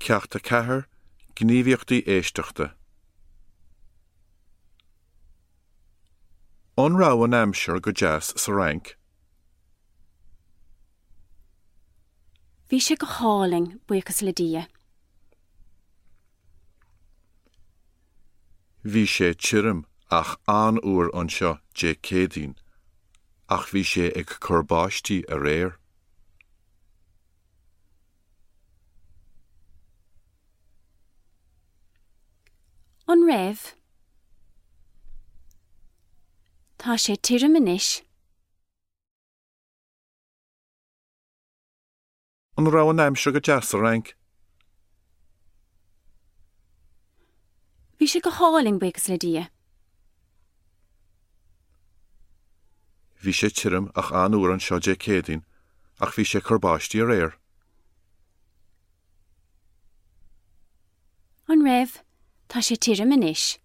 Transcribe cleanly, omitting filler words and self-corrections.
Ceacht 4, Gníomhaíochtaí Éisteachta An raibh an aimsir go deas sa Fhrainc? Bhí sé go hálainn, buíochas le Dia. Bhí sé tirim ach an-fhuar anseo Dé Céadaoin ach bhí sé ag cur báistí aréir. An raibh? Tá sé tirim anois. An raibh an aimsir go deas sa Fhrainc? Bhí sé go hálainn, buíochas le Dia. Bhí sé tirim ach an-fhuar anseo Dé Céadaoin ach bhí sé ag cur báistí aréir. An raibh? Tá sé tirim anois.